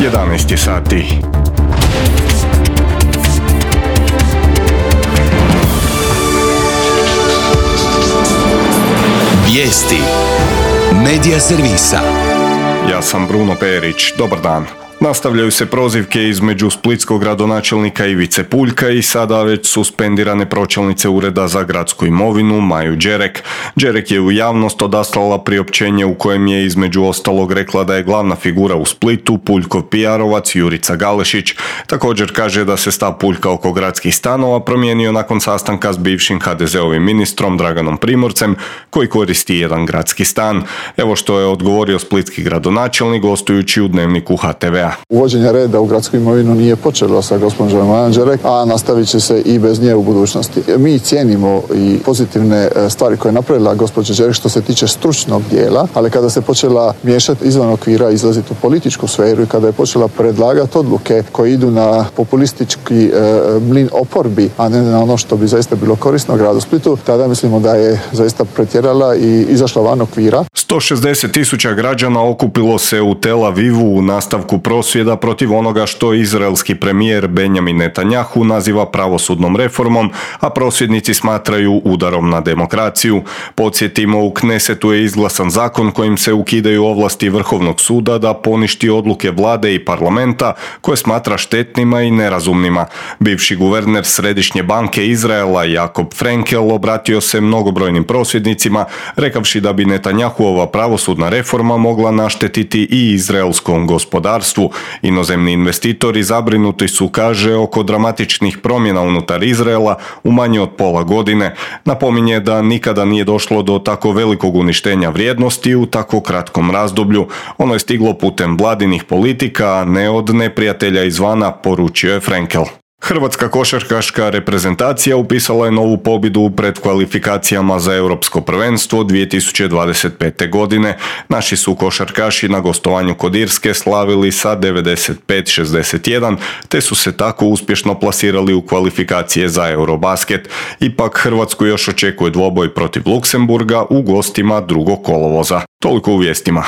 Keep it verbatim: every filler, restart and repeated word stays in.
jedanaest sati. Vijesti Medija servisa. Ja sam Bruno Perić. Dobar dan. Nastavljaju se prozivke između splitskog gradonačelnika Ivice Puljka i sada već suspendirane pročelnice Ureda za gradsku imovinu Maju Đerek. Đerek je u javnost odaslala priopćenje u kojem je između ostalog rekla da je glavna figura u Splitu Puljkov P R-ovac Jurica Galešić. Također kaže da se stav Puljka oko gradskih stanova promijenio nakon sastanka s bivšim ha de zeovim ministrom Draganom Primorcem koji koristi jedan gradski stan. Evo što je odgovorio splitski gradonačelnik gostujući u Dnevniku ha te ve a. Uvođenje reda u gradsku imovinu nije počelo sa gospođom Majom Đerek, a nastavit će se i bez nje u budućnosti. Mi cijenimo i pozitivne stvari koje je napravila gospođa Đerek što se tiče stručnog dijela, ali kada se počela miješati izvan okvira, izlaziti u političku sferu i kada je počela predlagati odluke koje idu na populistički e, mlin oporbi, a ne na ono što bi zaista bilo korisno gradu Splitu, tada mislimo da je zaista pretjerala i izašla van okvira. sto šezdeset tisuća građana okupilo se u Tel Avivu u nastavku prosvjeda protiv onoga što izraelski premijer Benjamin Netanjahu naziva pravosudnom reformom, a prosvjednici smatraju udarom na demokraciju. Podsjetimo, u Knesetu je izglasan zakon kojim se ukidaju ovlasti Vrhovnog suda da poništi odluke vlade i parlamenta koje smatra štetnima i nerazumnima. Bivši guverner Središnje banke Izraela Jakob Frenkel obratio se mnogobrojnim prosvjednicima rekavši da bi Netanjahuova pravosudna reforma mogla naštetiti i izraelskom gospodarstvu. Inozemni investitori zabrinuti su, kaže, oko dramatičnih promjena unutar Izraela u manje od pola godine. Napominje da nikada nije došlo do tako velikog uništenja vrijednosti u tako kratkom razdoblju. Ono je stiglo putem vladinih politika, a ne od neprijatelja izvana, poručio je Frenkel. Hrvatska košarkaška reprezentacija upisala je novu pobjedu u predkvalifikacijama za Europsko prvenstvo dvije tisuće dvadeset pete. godine. Naši su košarkaši na gostovanju kod Irske slavili sa devedeset pet šezdeset jedan, te su se tako uspješno plasirali u kvalifikacije za Eurobasket. Ipak Hrvatsku još očekuje dvoboj protiv Luksemburga u gostima drugog kolovoza. Toliko u vijestima.